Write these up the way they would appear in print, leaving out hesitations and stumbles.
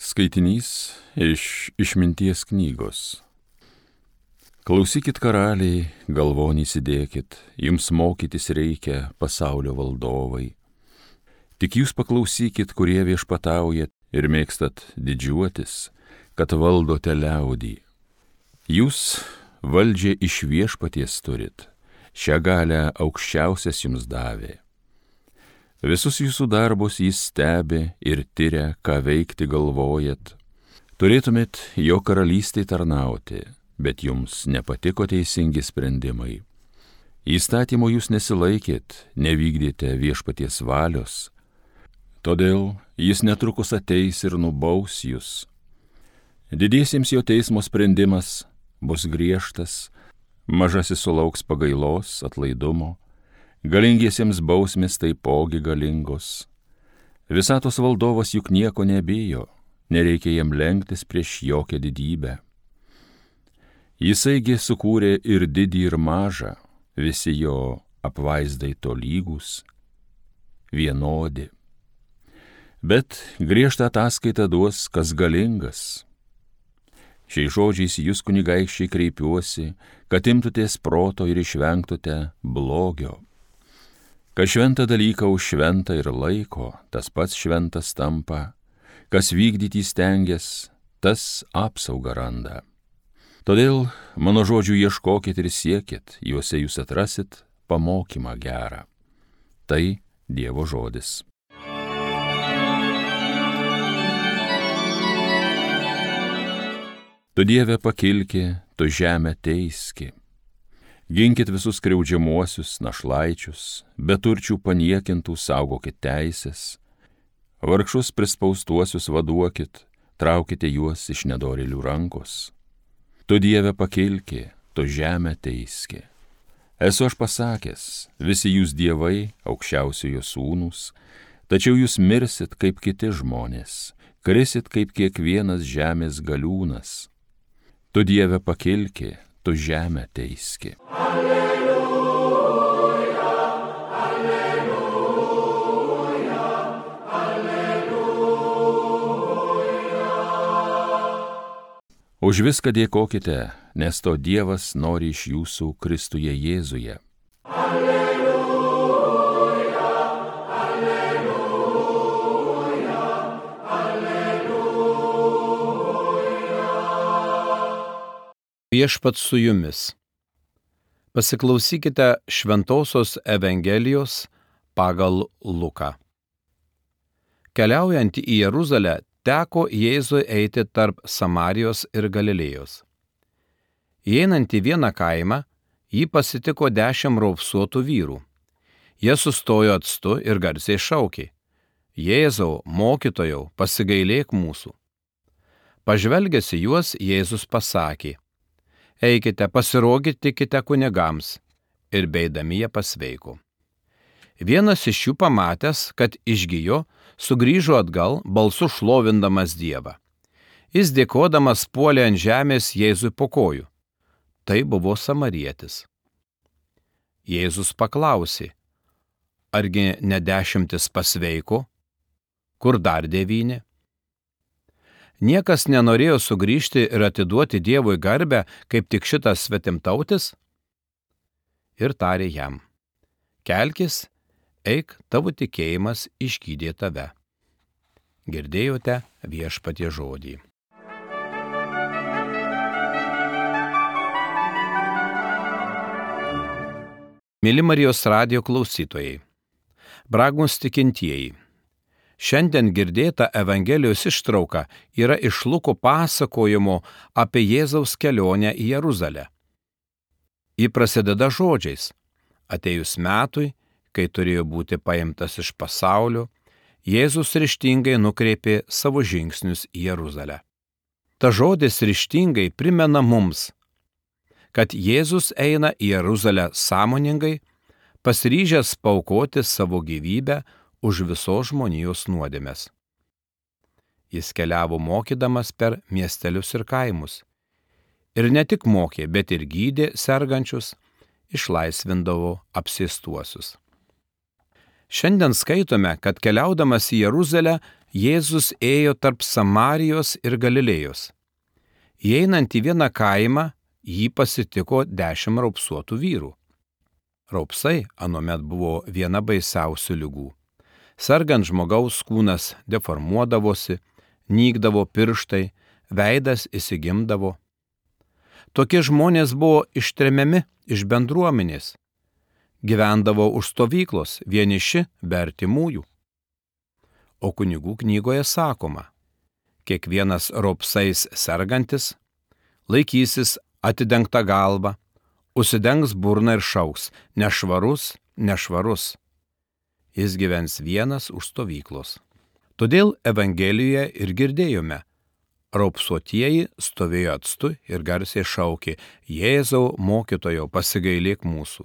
Skaitinys iš Išminties knygos. Klausykit karaliai, galvon įsidėkit, jums mokytis reikia, pasaulio valdovai. Tik jūs paklausykit, kurie viešpataujat ir mėgstat didžiuotis, kad valdote liaudį. Jūs valdžią iš viešpaties turit, šią galią aukščiausias jums davė. Visus jūsų darbus jis stebi ir tyria, ką veikti galvojat. Turėtumėt jo karalystei tarnauti, bet jums nepatiko teisingi sprendimai. Įstatymo jūs nesilaikėt, nevykdėte viešpaties valios. Todėl jis netrukus ateis ir nubaus jūs. Didiesiems jo teismo sprendimas bus griežtas, mažasis sulauks pagailos, atlaidumo. Galingiesiems bausmės taipogi galingos. Visatos valdovas juk nieko nebijo, nereikia jam lenktis prieš jokią didybę. Jisaigi sukūrė ir didį ir mažą, visi jo apvaizdai tolygūs, vienodi. Bet griežtą ataskaitą duos, kas galingas. Šiais žodžiais jūs kunigaikščiai kreipiuosi, kad imtutės proto ir išvengtute blogio. Kas šventą dalyką už šventą ir laiko, tas pats šventas tampa, kas vykdyti stengias, tas apsaugą randa. Todėl mano žodžių ieškokit ir siekit, juose jūs atrasit pamokymą gerą. Tai Dievo žodis. Tu Dieve pakilki, tu žemę teiski. Ginkit visus skriaudžiamuosius, našlaičius, beturčių paniekintų saugokit teisės, vargšus prispaustuosius vaduokit, traukite juos iš nedorėlių rankos. Tu Dieve pakilki, tu žemę teiski. Esu aš pasakęs, visi jūs dievai, aukščiausiojo sūnūs, tačiau jūs mirsit kaip kiti žmonės, krisit kaip kiekvienas žemės galiūnas. Tu Dieve pakilki, tu žemę teiski. Alleluja, alleluja, alleluja. Už viską dėkokite, nes to Dievas nori iš jūsų Kristuje Jėzuje. Alleluja, alleluja, alleluja. Viešpats su jumis. Pasiklausykite Šventosios Evangelijos pagal Luką. Keliaujant į Jeruzalę, teko Jėzui eiti tarp Samarijos ir Galilėjos. Įeinant į vieną kaimą, jį pasitiko 10 raupsuotų vyrų. Jie sustojo atstu ir garsiai šaukė: Jėzau, mokytojau, pasigailėk mūsų. Pažvelgęs į juos, Jėzus pasakė: Eikite, pasirodykite kunigams, ir beidami jie pasveiko. Vienas iš jų pamatęs, kad išgijo, sugrįžo atgal, balsu šlovindamas Dievą. Jis dėkodamas puolė ant žemės Jėzui po kojų. Tai buvo samarietis. Jėzus paklausė: Argi ne 10 pasveiko? Kur dar 9? Niekas nenorėjo sugrįžti ir atiduoti Dievui garbę, kaip tik šitas svetimtautis? Ir tarė jam: Kelkis, eik, tavo tikėjimas išgydė tave. Girdėjote Viešpaties žodį. Mėly Marijos radijo klausytojai, brangūs tikintieji, šiandien girdėta Evangelijos ištrauka yra iš Luko pasakojimo apie Jėzaus kelionę į Jeruzalę. Ji prasideda žodžiais: Atėjus metui, kai turėjo būti paimtas iš pasaulio, Jėzus ryžtingai nukreipė savo žingsnius į Jeruzalę. Ta žodis ryžtingai primena mums, kad Jėzus eina į Jeruzalę sąmoningai, pasiryžęs paaukoti savo gyvybę už visos žmonijos nuodėmes. Jis keliavo mokydamas per miestelius ir kaimus. Ir ne tik mokė, bet ir gydė sergančius, išlaisvindavo apsėstuosius. Šiandien skaitome, kad keliaudamas į Jeruzalę, Jėzus ėjo tarp Samarijos ir Galilėjos. Įeinant į vieną kaimą, jį pasitiko 10 raupsuotų vyrų. Raupsai anuomet buvo viena baisiausių ligų. Sergant žmogaus kūnas deformuodavosi, nykdavo pirštai, veidas įsigimdavo. Tokie žmonės buvo ištremiami iš bendruomenės. Gyvendavo už stovyklos, vieniši be artimųjų. O kunigų knygoje sakoma, kiekvienas raupsais sergantis laikysis atidengtą galvą, užsidengs burną ir šauks: nešvarus, nešvarus. Jis gyvens vienas už stovyklos. Todėl Evangelijoje ir girdėjome: raupsuotieji stovėjo atstu ir garsiai šaukė: Jėzau, mokytojau, pasigailėk mūsų.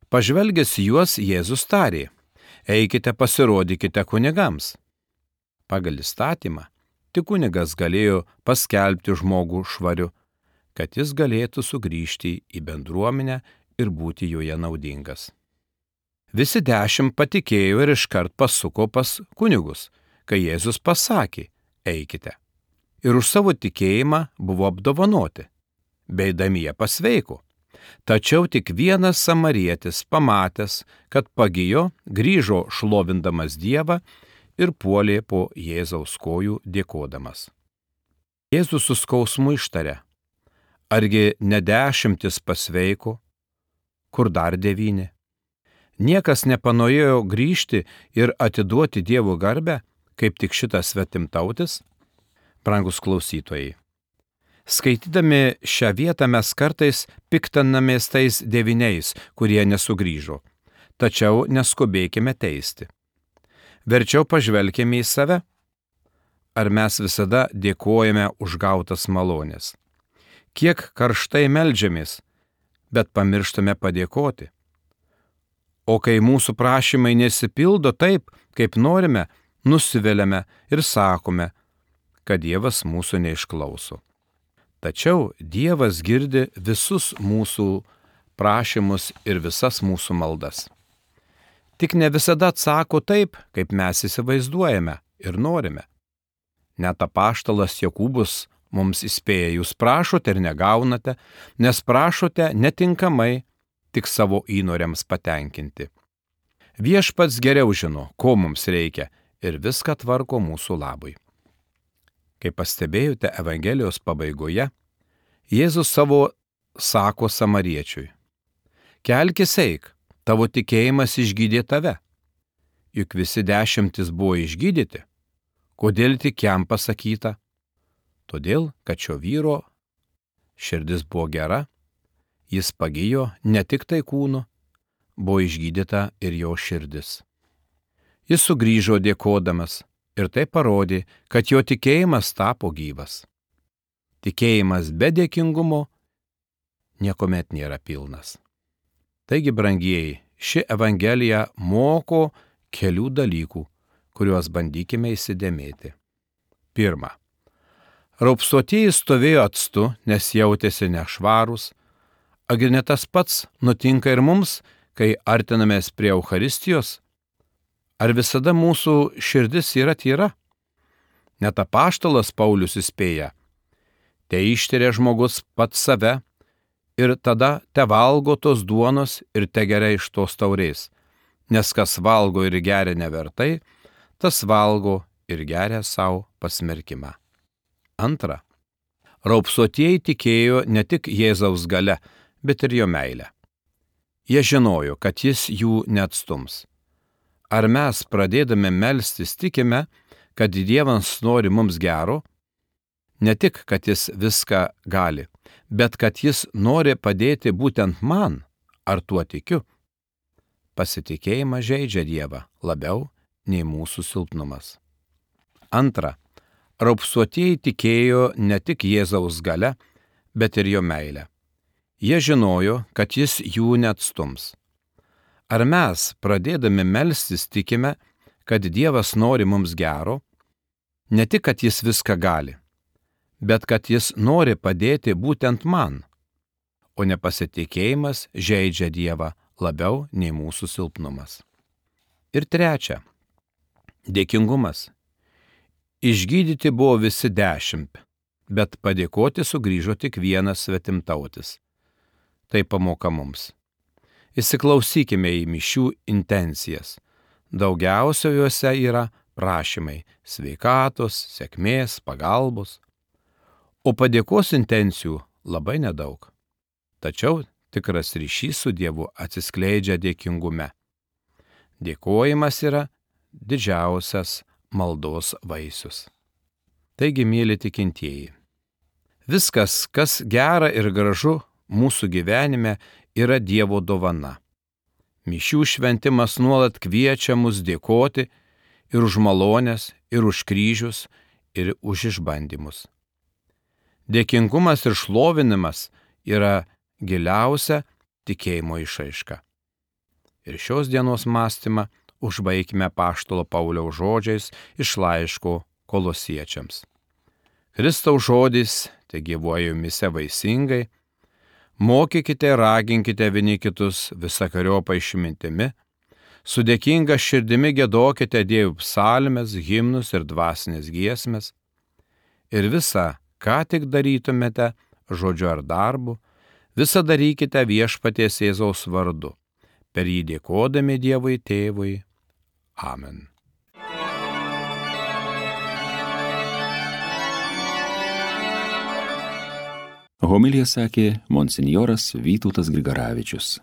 Pažvelgęs juos, Jėzus tarė: eikite pasirodykite kunigams. Pagal įstatymą, tik kunigas galėjo paskelbti žmogų švariu, kad jis galėtų sugrįžti į bendruomenę ir būti joje naudingas. Visi 10 patikėjo ir iškart pasuko pas kunigus, kai Jėzus pasakė: eikite. Ir už savo tikėjimą buvo apdovanoti. Beidami jie pasveiko. Tačiau tik vienas samarietis, pamatęs, kad pagijo, grįžo šlovindamas Dievą ir puolė po Jėzaus kojų dėkodamas. Jėzus su skausmu ištarė: argi ne 10 pasveiko, kur dar 9? Niekas nepanorėjo grįžti ir atiduoti Dievo garbę, kaip tik šitas svetimtautis? Brangus klausytojai, skaitydami šią vietą mes kartais piktinamės tais 9, kurie nesugrįžo, tačiau neskubėkime teisti. Verčiau pažvelkime į save. Ar mes visada dėkojame už gautas malonės? Kiek karštai meldžiamės, bet pamirštame padėkoti? O kai mūsų prašymai nesipildo taip, kaip norime, nusiviliame ir sakome, kad Dievas mūsų neišklauso. Tačiau Dievas girdi visus mūsų prašymus ir visas mūsų maldas. Tik ne visada atsako taip, kaip mes įsivaizduojame ir norime. Net apaštalas Jokūbas mums įspėja: jūs prašote ir negaunate, nes prašote netinkamai, tik savo įnoriams patenkinti. Viešpats geriau žino, ko mums reikia, ir viską tvarko mūsų labui. Kaip pastebėjote Evangelijos pabaigoje, Jėzus savo sako samariečiui: kelkis eik, tavo tikėjimas išgydė tave. Juk visi 10 buvo išgydyti. Kodėl tik jam pasakyta? Todėl, kad šio vyro širdis buvo gera, jis pagijo ne tik tai kūnu, buvo išgydyta ir jo širdis. Jis sugrįžo dėkodamas ir tai parodė, kad jo tikėjimas tapo gyvas. Tikėjimas be dėkingumo niekuomet nėra pilnas. Taigi, brangieji, ši Evangelija moko kelių dalykų, kuriuos bandykime įsidėmėti. 1. Raupsuotieji stovėjo atstu, nes jautėsi nešvarūs. Agi ne tas pats nutinka ir mums, kai artinamės prie Eucharistijos? Ar visada mūsų širdis yra tyra? Net apaštalas Paulius įspėja: te ištiria žmogus pats save ir tada te valgo tos duonos ir te geria iš tos taurės, nes kas valgo ir geria nevertai, tas valgo ir geria savo pasmerkimą. 2. Raupsuotieji tikėjo ne tik Jėzaus galia, bet ir jo meilę. Jie žinojo, kad jis jų neatstums. Ar mes, pradėdami melstis, tikime, kad Dievas nori mums gero? Ne tik, kad jis viską gali, bet kad jis nori padėti būtent man, ar tuo tikiu? Pasitikėjimas žeidžia Dievą labiau nei mūsų silpnumas. 2. Raupsuotieji tikėjo ne tik Jėzaus galia, bet ir jo meilę. Jie žinojo, kad jis jų neatstums. Ar mes, pradėdami melstis, tikime, kad Dievas nori mums gero? Ne tik, kad jis viską gali, bet kad jis nori padėti būtent man, o nepasitikėjimas žeidžia Dievą labiau nei mūsų silpnumas. Ir trečia - dėkingumas. Išgydyti buvo visi 10, bet padėkoti sugrįžo tik vienas svetimtautis. Tai pamoka mums. Įsiklausykime į mišių intencijas. Daugiausia juose yra prašymai sveikatos, sėkmės, pagalbos. O padėkos intencijų labai nedaug. Tačiau tikras ryšys su Dievu atsiskleidžia dėkingume. Dėkojimas yra didžiausias maldos vaisius. Taigi, mėly tikintieji, viskas, kas gera ir gražu mūsų gyvenime, yra Dievo dovana. Mišių šventimas nuolat kviečia mus dėkoti ir už malonės, ir už kryžius, ir už išbandymus. Dėkingumas ir šlovinimas yra giliausia tikėjimo išraiška. Ir šios dienos mąstymą užbaikime apaštalo Pauliaus žodžiais iš laiško Kolosiečiams. Kristaus žodis te gyvuoja jumise vaisingai, mokykite ir raginkite vieni kitus visokeriopą išmintimi, su dėkinga širdimi giedokite Dievui psalmes, himnus ir dvasinės giesmes, ir visą, ką tik darytumėte, žodžiu ar darbu, visą darykite viešpaties Jėzaus vardu, per jį dėkodami Dievui Tėvui. Amen. Homiliją sakė monsinjoras Vytautas Grigaravičius.